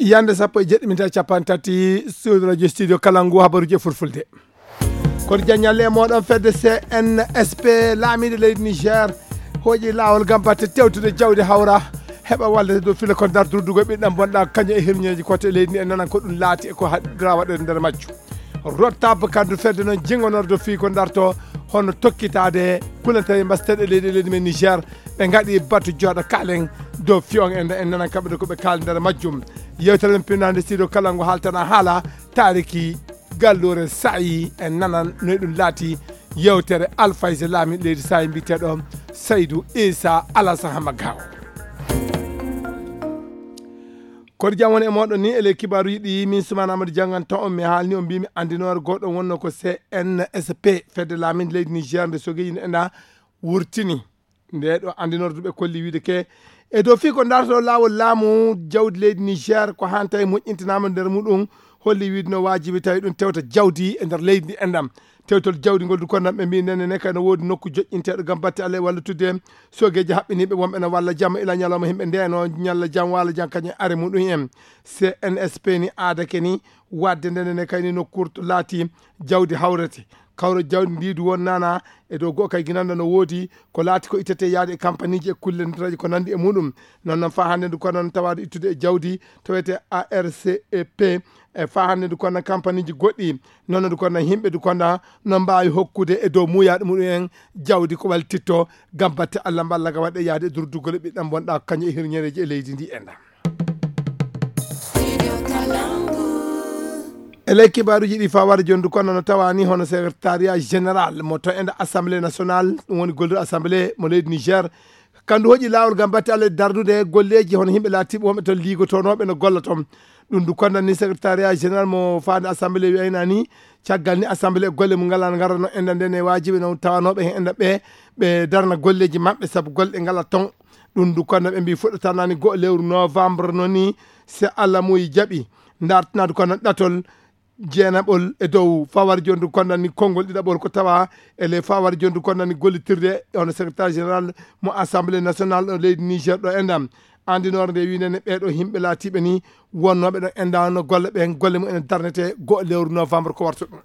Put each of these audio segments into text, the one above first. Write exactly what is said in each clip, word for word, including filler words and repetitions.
Yande sappo e jeɗɗi minti capanɗe tati, studio radio studio kala ngu habaruji e fulfulde. Kono jaññalle e moɗon fedde C N S P, laamiiɗo leydi Niger hooƴi laawol ngam batte tewtude jawdi hawra, heɓa wallete dow fila ko ndar durdugo ɓiɗɗam bonɗa kañum e hirñeeji kote e leydi ndi e nanan ko ɗum laati e ko haɗira waɗede nder majjum. Rotab kandu fedde noon jingonorde fii ko ndarto hono tokkitaade kulantaye mbasteɗe leydi e leydi men Niger, ɓe ngaɗi batu jooɗa kaalen dow fiyon en en nanan kamɓe ko ɓe kaali nder majjum. Yewtere men pinnaande studio kala ngo haaltana haala taariki galluure sa'i en nanan noy ɗum laati. Yewtere alfayse laami leydi sa'i mbiyeteɗo Saydu Isa Alasan Hamagawo. Kono jam woni e moɗon ni ele kibaaruji ɗi min Sumana Amadou Diangan taw on mi haalni on mbimi andinoore goɗɗo wonno ko C N S P fedde laamin leydi Niger nde sogeji nde enda wurtini. Nde ɗo andinorde ɓe kolli wiide ke e dow fii ko darto laawol laamu jawdi leydi Niger ko hanta e moƴƴintinama nder muɗum holli wiide no waajibi tawi ɗum tewta jawdi e nder leydi ndi endam. Tewtol jawdi ngol du kono ɓe mbi nene ne kay no woodi nokku joƴƴinteɗo ngam batte Allah e walla tudde sogeji haɓɓiniɓe wonɓe no walla jamma ila ñalawma himɓe ndeno ñalla jam wala jam kañum are muɗum en. C N S P ni aadake ni wadde ndene ne kayni nokkurto laati jawdi hawrete kawra jawdi ndi du won nana e dow goo kay ginanda no woodi ko laati ko ittete yaade e kampaniji e kulle ndetraji ko nandi e muɗum. Non non fa hande ndu ko non tawade ittude e jawdi tawete A R C E P e fa hande ndu konna kampaniji goɗɗi non ndu konna himɓe ndu konna no mbawi hokkude e dow muyaɗo muɗum en jawdi ko wallititto ngam batte Allah mballa ga waɗe yaade e durdugol e ɓiɗɗam bonɗa ko kañum e hirñereji e leydi ndi e nda. E ley kibaruji ɗi fawade joni ndu konna no tawani hono secrétariat général mo to enda assemblée nationale ɗum woni golluɗo assemblée mo leydi Niger kandu hoƴi laawol ngam batte Allah dardude golleji hono himɓe laatiɓe wonɓe toon liigotonoɓe no golla toon. Ɗum ndu kondan ni secrétariat général mo faade assemblée wiyayna ni caggal ni assemblée e golle mum ngala ngarano enda nden e wajiɓe no tawanoɓe hen enda ɓe ɓe darna golleji maɓɓe saabu golle ɗe ngala toon. Ɗum ndu kondan ɓe mbi fuɗɗatanani goho lewru novembre noon ni si Allah muyi jaaɓi dartinade kono ɗatol jeenaɓol e dow fawar joni ndu kondan ni konngol ɗiɗaɓol ko tawa e ley fawar joni ndu kondan ni gollitirde e hono secrétaire général mo assemblée nationale ɗo leydi Niger ɗo endam andinore nde winene ɓeɗo himɓe laatiɓe ni wonnoɓe ɗo endano golle ɓe golle mumen darnete goho lewru novembre ko warta ɗum.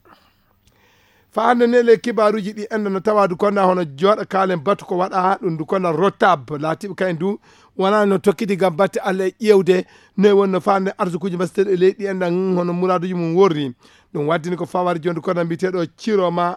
Fa hande ne le kibaruji ɗi enda no tawadu konda hono joɗa kalen batu ko waɗa ɗum ndu konda rotab laatiɓe kayen du wona no tokkiti ngam batte Allah e ƴewde noy wonno fande arsukuji mbasteɗo e leydi ɗi enda hono muraduji mum worri. Ɗum waddini ko fawari joni kono mbiyeteɗo Ciroma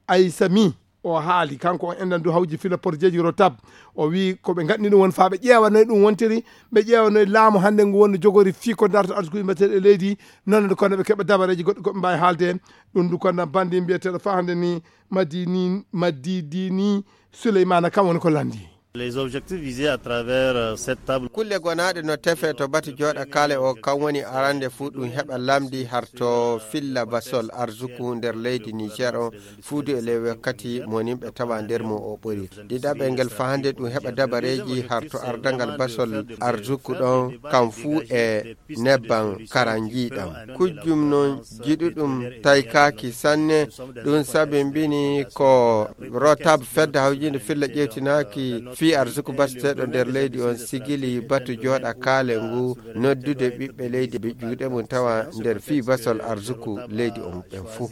Aysami o haali kanko on enɗan du hawji fila porjeji rotab o wi ko ɓe gaɗni ɗum won fa ɓe ƴeewanoy ɗum wontiri ɓe ƴeewanoy laamu hannde ngu wonno jogori fii ko darta arsukuji mbateɗo e leydi noon nde kono ɓe keɓa dabareji goɗɗi koɓe mbawi haalde. Ɗum du kono bandi mbiyeteɗo fa hannde ni madini madidini Souleymana kam woni ko landi. Les objectifs visés à travers euh, cette table. Kulle gonaɗe no tefe to batu joɗa kale o kam woni arande fu ɗum heɓa lamdi harto filla basol arzuku nder leydi Niger on fuudu e ley wakkati mo nimɓe tawa nder mum o ɓori. Ɗiɗaɓel ngel fahande ɗum heɓa dabareji harto ardangal basol arzuku ɗon kam fuu e nebban karanjiɗam kujjum non jiɗuɗum taykaki sanne. Ɗum sabi mbini ko rotab fedde hawjinde filla ƴewtinaki fii arsuku basteɗo nder leydi on sigili batu joɗa kaale ngu noddude ɓiɓɓe leydi ɓe juuɗe mum tawa nder fii basol arsuku leydi on ɓen fuu.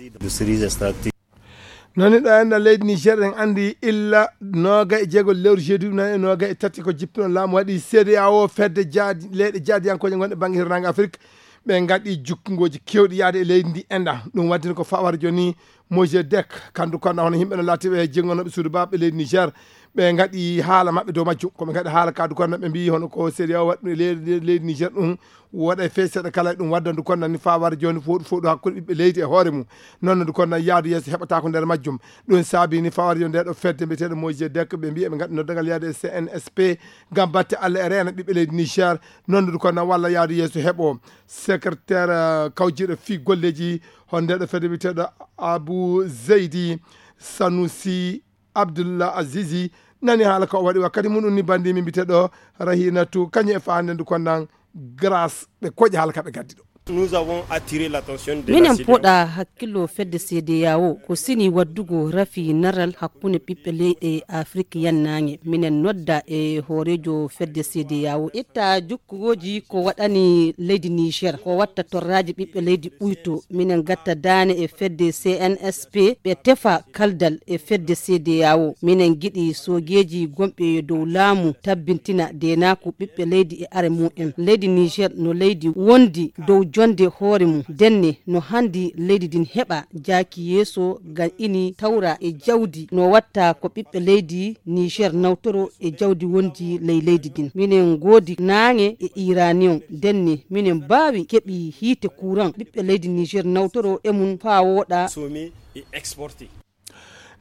Noni ɗo enɗan leydi Niger en andi illa noga e jeego lewru jeedi ɗum nani e noga e tati ko jippino laamu waɗi C D A O fedde jaadi leyɗe jaadiyankoje gonɗe bangge hirnange Afrique ɓe gaɗi jukkungoji kewɗi yaade e leydi ndi enɗan ɗum waddino ko fawar joni Mojedek kandu konɗa hono yimɓe no laatiɓe e jenngonoɓe suudu baɓɓe leydi Niger ɓe gaɗi haala maɓɓe dow majjum koɓe gaɗi haala kadu konɗa ɓe mbi hono ko C D A O waɗi ɗum e leydi leydi Niger ɗum woɗa e fey seeɗa kala e ɗum wadda ndu konnan ni fawar joni foɗu foɗu hakkude ɓiɓɓe leydi e hoore mum. Noon ndu konnan yaadu yeeso heɓata ko nder majjum. Ɗum saabi ni fawar joni nde ɗo fedde mbiyeteɗo Moise Dek ɓe mbi eɓe gaɗi noddagal yaade e C N S P ngam batte Allah e reena ɓiɓɓe leydi Niger. Noon ndu konnan walla yaadu yeeso heɓo secrétaire kawjiɗo fii golleji hon nde ɗo fedde mbiyeteɗo Abou Zeydi Sanusi Abdullah Azizi nani haala ko waɗi wakkati muɗum ni bandi mi mbiteɗo Rahinatu kañum e fande ndu konnan grâce ɓe koƴi haala ka ɓe gaddi ɗo. Nous avons attiré l'attention de la minen C D A O. Poɗa hakkillo fedde C D A O ko sini waddugo rafi naral hakkunde ɓiɓɓe leyɗe Afrik yannaange. Minen nodda e hooreejo fedde C D A O itta jukkugoji ko waɗani leydi Niger, ko watta torraji ɓiɓɓe leydi ɓuyto. Minen gatta daane e fedde C N S P, ɓe tefa kaldal e fedde C D A O. Minen giɗi soogeeji gonɓe dow laamu tabbintina deenaaku ɓiɓɓe leydi e are mumen. Leydi Niger no leydi wondi dow jonde hoore mum. Denne no handi leydi din heɓa jaaki yeeso ngam ini tawra e jawdi no watta ko ɓiɓɓe leydi Niger nawtoro e jawdi wondi ley leydi din. Minen ngoodi naange e iranium. Denne minen mbaawi keɓi hiite kuran ɓiɓɓe leydi Niger nawtoro e mum faa wooɗa. Sommet et exporté.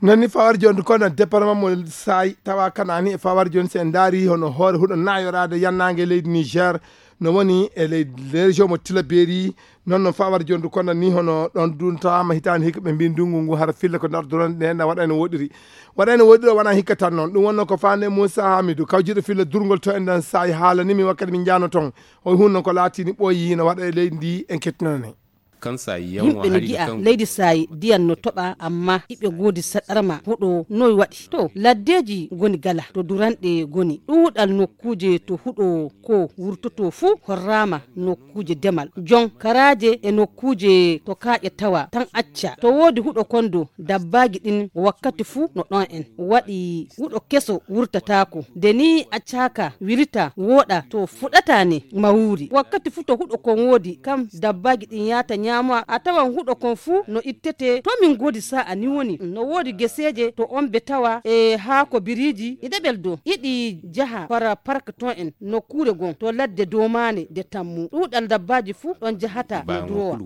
Noon ni fawar jooni kono département mo Saayi tawa kanaani e fawar jooni so en ndaari hono hoore huɗo naayoraade yannaange leydi Niger no woni e leydi région mo Tilaberi. Noon no fawar jooni kono ni hono ɗoon duntaama hitaande hikka ɓe mbi ndunngu ngu hara filla ko ndardoron ɗe na waɗa ene woɗiri. Waɗa ene woɗiri o wona hikka tan noon ɗum wonno ko faande Moussa Hamidou kawjiɗo filla durngol to en ɗan Saayi haalani mi wakkati min njaano toon o hunno ko laatini ɓooyi no waɗa e leydi ndi en kettinane. Yimɓe no ngi'a leydi Saayi diyan no toɓa amma iɓe ngoodi saɗarma huɗo noy waɗi to laddeeji ngoni gala to duranɗe ngoni ɗuuɗal nokkuuje to huɗo ko wurtoto fuu horraama nokkuuje demal jon karaaje e nokkuuje to kaaƴe tawa tan acca to woodi huɗo kondo dabbaaji ɗin wakkati fuu no ɗon en waɗi huɗo keso wurtataako nde ni accaaka wirita wooɗa to fuɗata ne mawuuri wakkati fuu to huɗo kon woodi kam dabbaaji ɗin yaata ñaamowa a tawan huɗo kon fuu no ittete to min ngoodi sa'a ni woni no woodi geseeje to on be tawa e haako biriiji e ɗeɓel dow iɗi jaha fara park ton en nokkuure gon to ladde domaane nde tammu ɗuuɗal dabbaaji fuu ɗon jahata no durowa.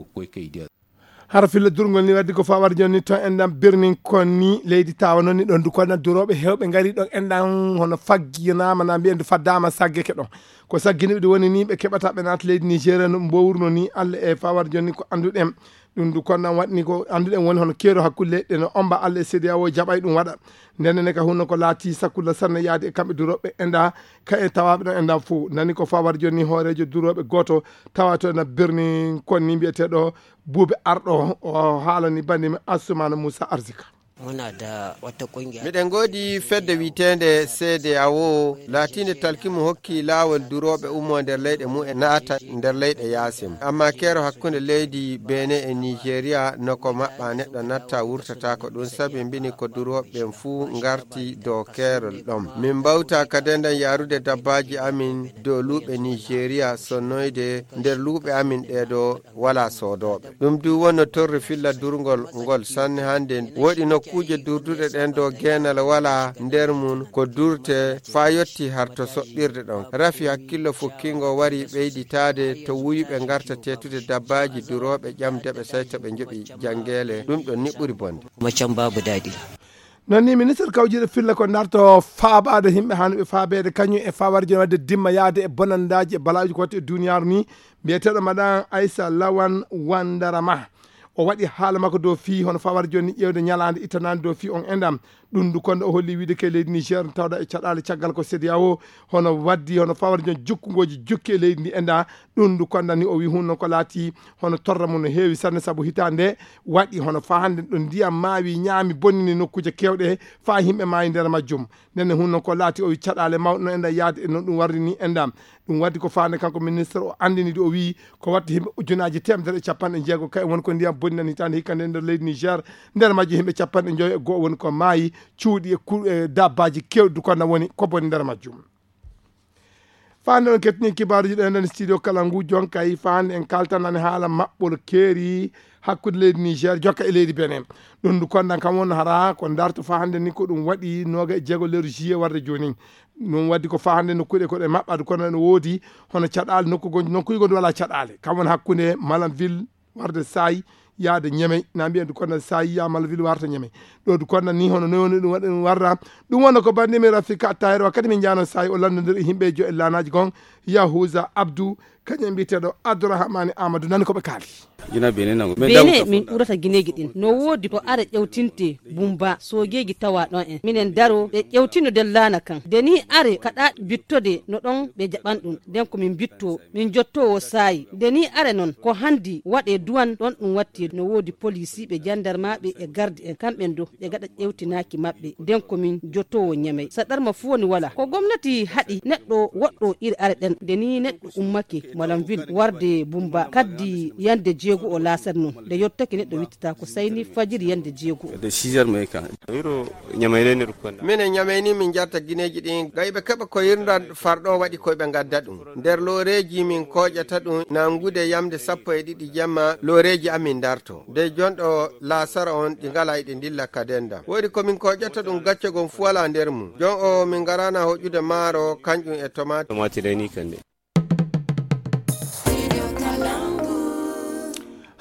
Hara filla durngol ni waddi ko fawar jonni ton enɗam birnin kon ni leydi tawa noon ni ɗon dukoɗen durooɓe hewɓe ngari ɗon enɗam hono fagginaama na mbiyen faddama saggeke ɗon ko sagginiɓe ɗi woni ni ɓe keɓata ɓe naata leydi nigéria no mbowruno ni allah e fawar jonni ko annduɗen. Ɗum du konnan waɗni ko annduɗen woni hono keero hakkunde leyɗe no omba allah e cédéa o jaɓay ɗum waɗa. Ndennene ka hunno ko laati sakkulla sanne yaade e kamɓe durooɓe enɗa ka e tawaaɓe ɗon enɗan fof nani ko fawar jonni hooreejo durooɓe gooto tawa to ena birni kon ni mbiyeteeɗo buuɓe arɗo o haalani bandimi assumana moussa arsika. Miɗen ngoodi fedde wiyeteende cédéa o laatiinde talki mo hokki laawol durooɓe ummo nder leyɗe mumen naata nder leyɗe yaasin amma keero hakkunde leydi benin e nigéria no ko maɓɓa neɗɗo natta wurtata ko ɗum sabi mbini ko durooɓe ɓen fuu ngarti dow keerol ɗon min mbawta ka dendan yaarude dabbaaji amin dow luuɓe nigéria sonnoyde nder luuɓe amin ɗeeɗo wala soodooɓe. Ɗum du wonno torri filla durngol ngol sanne hannde woɗi nokkuuje durduɗe ɗen dow geenal wala nder mum ko durte faa yotti har to soɓɓirde ɗon rafi hakkillo fukkingo wari ɓeyditaade to wuyuɓe ngarta teetude dabbaaji durooɓe ƴamde ɓe sey to ɓe njoɓi janngeele ɗum ɗon ni ɓuri bonde. Macam babu daɗi. Noon ni ministre kawjiiɗo filla ko darto faabaade yimɓe hanuɓe faabeede kañum e faawarjo wadde dimma yaade e bonandaaji e balaaji ko waɗi e duniyaaru ni mbiyeteeɗo maɗan aysa lawan wandarama. O waɗi haala makko dow fii hono fawar jonni ƴeewde ñalaande ittanaande dow fii on endam. Ɗum ndu konde o holli wiide ke leydi niger tawɗa e caɗaale caggal ko sedia o hono waddi hono fawar jon jukkungoji jukki e leydi ndi enda. Ɗum ndu konda ni o wi hunno ko laati hono torra mum no heewi sanne sabu hitaande waɗi hono faa hannde ɗo ndiyam maawi ñaami bonnini nokkuuje keewɗe faa yimɓe maayi nder majjum. Ndenne hunno ko laati o wi caɗaale mawɗe no enda yaade e no ɗum warri ni enda. Ɗum waddi ko faande kanko ministre o anndinidi o wii ko watta yimɓe ujunaaji temedere e capanɗe jeego kay woni ko ndiyam bonnani hitaande hikka nde nder leydi niger. Nder majji yimɓe capanɗe njoyo e goo woni ko maayi cuuɗi e ku- e dabbaaji kewɗi du konda woni ko boni nder majjum. Faande on kettini kibaaruji ɗen ɗon studio kala ngu jonkay faande en kaltanani haala maɓɓol keeri hakkunde leydi niger jokka e leydi benin. Ɗum ndu kondan kam won hara ko darto fa hannde ni ko ɗum waɗi noga e jeego lewru juillet warde jooni. Ɗum waddi ko fa hannde nokkuɗe koɗe maɓɓade kono ene woodi hono caɗaale nokku gonji nokkuji gonɗi wala caɗaale kam woni hakkunde malam ville warde sayi yaade ñemey na mbiyen du konda sayi ya malam ville warta ñemey. Ɗo du konda ni hono noy woni ɗum waɗi ɗum warra. Ɗum wonno ko bandimi rafika attayre wakkati min jano sayi o landodir e yimɓe jo e lanaji gon yahusa abdou. Kañum e mbiyeteeɗo Abdourahmane Amadou, nani ko ɓe kaali. Gina Benin nangu. Bene min ɓurata gineeji ɗin. No woodi ko are ƴewtinte Bumba, soojeeji tawa ɗon en. Minen daro ɓe ƴewtino den laana kan. Nde ni are kaɗa bittode no ɗon ɓe jaɓan ɗum. Den ko min bitto, min jottowo saayi. Nde ni are non ko handi waɗe duwan ɗon ɗum watti no woodi polisiiɓe, jandarmaaɓe e garde en. Kamɓen do ɓe gaɗa ƴewtinaaki maɓɓe. Den ko min jottowo Ñamey. Saɗarma fu woni wala. Ko gomnati haɗi neɗɗo woɗɗo iri are ɗen. Nde ni neɗɗo ummake Malamville warde Bumba kaddi yande jeego o laasar non. Nde yottake neɗɗo wittata ko sayni fajiri yande jeego. De six heures mai kan. Wiro Ñamey ne rukonda. Minen Ñamey ni min jarta gineeji ɗin. Gayɓe keɓa ko yirnda farɗo waɗi koy ɓe gadda ɗum. Nder looreeji min kooƴata ɗum nangude yamde sappo e ɗiɗi jamma looreeji amin darto. De jonɗo laasara on ɗi ngala e ɗi ndilla ka denda. Woodi ko min kooƴata ɗum gacce gon fu wala nder mum. Jon o min ngarana hoƴude maaro kanƴum e tomaati. Tomaati reni kande.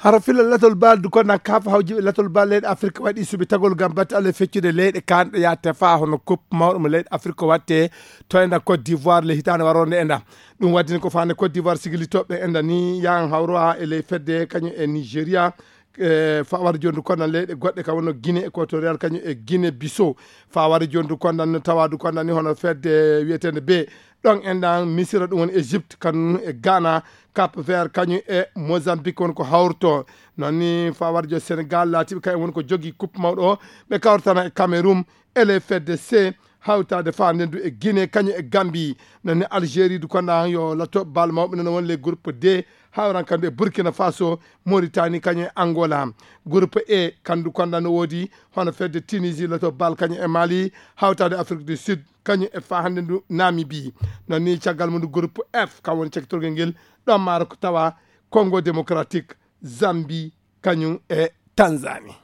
Hara fila latol bal du kono kaafa hawjiɓe latol bal leyɗe Afrique waɗi suɓi tagol ngam batte Allah feccude leyɗe kanɗe yaate fa hono coupe mawɗo mo leyɗe Afrique watte to enda Côte d'Ivoire le hitaande waronde enda. Ɗum waddini ko fande Côte d'Ivoire sigilitooɓe enda ni yahan hawro ha e ley fedde kañum e Nigeria. E fawar jondu kondan leyɗe goɗɗe ka wonno Guinée équatoriale kañum e Guinée Bissau. Fawar jondu kondan no tawadu kondan ni hono fedde wiyeteende be ɗon enɗan Misira, ɗum woni Égypte, kanum e Ghana, Cap Vert kañum e Mozambique woni ko hawrto. Non ni fawar jo Sénégal laatiɓe kañum woni ko jogi coupe mawɗo o. Ɓe kawrtana e Cameroun, ele fedde C hawtaade fa ndendu e Guinée kañum e Gambie. Non ni Algérie du kondan yo latto bal mawɓe non woni le groupe D, hawran kandu e Burkina Faso, Mauritanie kañum e Angola. Groupe E kandu kondan no woodi hono fedde Tunisie latto bal kañum e Mali, hawtaade Afrique du Sud kañum e fa hannde ndu Namibie. Non ni caggal mum ndu groupe F kam woni cakkitorgel ngel, ɗon maaro ko tawa Congo démocratique, Zambie kañum e Tanzanie.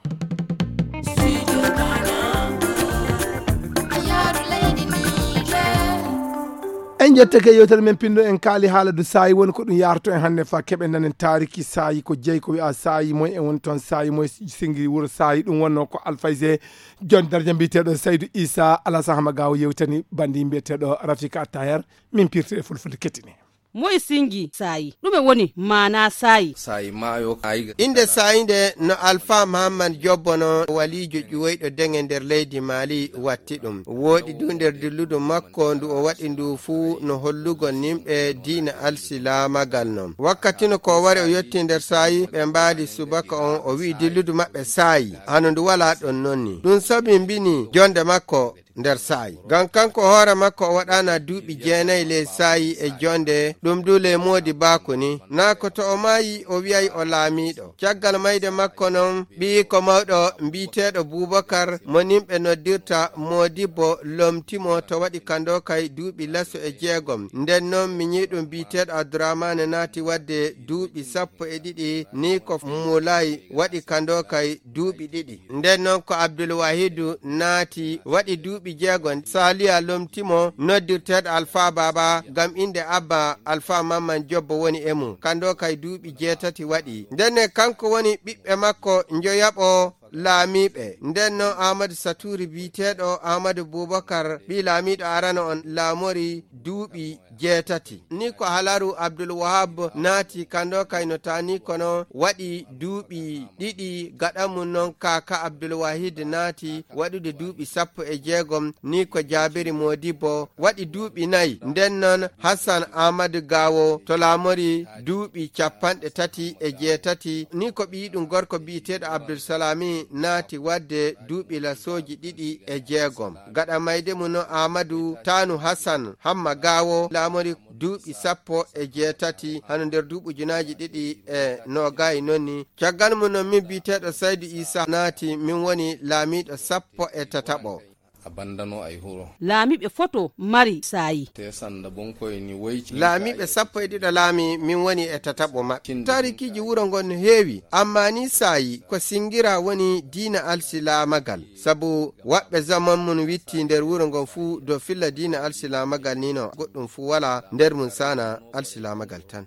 En jettake yewtere men pinɗo en kaali haala du saayi woni ko ɗum yarto en hannde fa keɓe ndanen taariki saayi ko jeyi ko wi'a saayi moy e woni toon saayi moy singi wuro saayi ɗum wonno ko alfayse jon darja mbiyeteeɗo Saydu Isa Alasan Hamagawo yewtani bandi mbiyeteeɗo Rafika Taher. Min pirti e fulfulde kettini. Moy singi saayi? Ɗume woni maana saayi? Saayi maayo ayiga. Innde saayi nde no Alfa Mahammad Jobbo no waliijo ƴuwoyɗo deŋe nder leydi Maali watti ɗum. Wooɗi du nder dilludu makko ndu o waɗi ndu fuu no hollugol nimɓe diina alsilaamagal non. Wakkati no ko wari o yotti nder saayi ɓe mbaali subaka on o wi'i dilludu maɓɓe saayi. Hano ndu walaa ɗon nonni. Ɗum sabi mbini jonde makko nder saayi. Ngam kanko hoore makko o waɗaana duuɓi jeenayi ley saayi e jonde, ɗum du ley moodi baaku ni. Naa ko to o maayi o wi'ay o laamiiɗo. Caggal mayde makko non, ɓiyiiko mawɗo mbi'eteeɗo Buubakar mo nimɓe noddirta Moodibbo lomti mo to waɗi ka ndokay duuɓi laso e jeegom. Nden non miñiiɗum bi'eteeɗo Abdurahmaane naati waɗde duuɓi sappo e ɗiɗi ni ko Mulay waɗi ka ndokay duuɓi ɗiɗi. Nden non ko Abdul Wahidu naati, waɗi duuɓi jeego. Saliya lomti mo, noddirteeɗo Alfa Baaba, ngam innde Abba Alfa Mamman Jobbo woni e mum. Ka ndokay duuɓi jeetati waɗi. Nden ne kanko woni ɓiɓɓe makko njoyaɓo laamiiɓe. Nden non Ahmadu Saturi bi'eteeɗo Ahmadu Bubakar, ɓii laamiiɗo arano on, laamori duuɓi jeetati. Ni ko halaru Abdul Wahab naati kando kay no taani kono waɗi duuɓi ɗiɗi gaɗa mum non kaaka Abdul Wahid naati waɗude duuɓi sappo e jeegom. Ni ko Jaabiri Moodibbo waɗi duuɓi nayi. Nden non Hassan Ahmadu Gaawo to laamori duuɓi capanɗe tati e jeetati. Ni ko ɓiyiɗum gorko bi'eteeɗo Abdul Salami naati waɗde duuɓi lasooji ɗiɗi e jeegom. Gaɗa mayde mum no Ahmadu Taanu Hassan Hamma Gaawo laamori duuɓi sappo e jeetati, hano nder duuɓi ujunaaji ɗiɗi e noogay nonni. Caggal mum non min bi'eteeɗo Saydu Isa naati, min woni laamiiɗo sappo e tataɓo. A bandano ay huro. Laamiiɓe foto mari saayi. Te sanda bonkoy ni woyci. Laamiiɓe sappo e ɗiɗo laami, min woni e tataɓo maɓɓe. Taarikiiji wuro ngon no heewi, amma ni saayi ko singira woni diina alsilaamagal. Sabu waɓɓe zaman mum witti nder wuro ngon fuu do filla diina alsilaamagal ni no goɗɗum fuu wala nder mum sana alsilaamagal tan.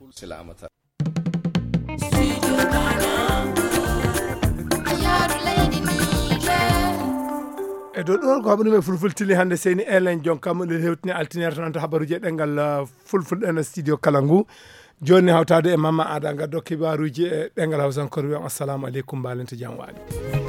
E dow ɗum ko haɓanumi e fulfulde tili hannde seyni elen jon kam ɗo hewtini altinere tan to habaruji e ɗengal, uh, fulfulde ɗen e studio kala ngu. Jooni hawtaade e Mamma Aada, ngaddo kibaaruuji e ɗemngal Hawsankore, wiyan assalamu aleykum, mbaalente jam waali.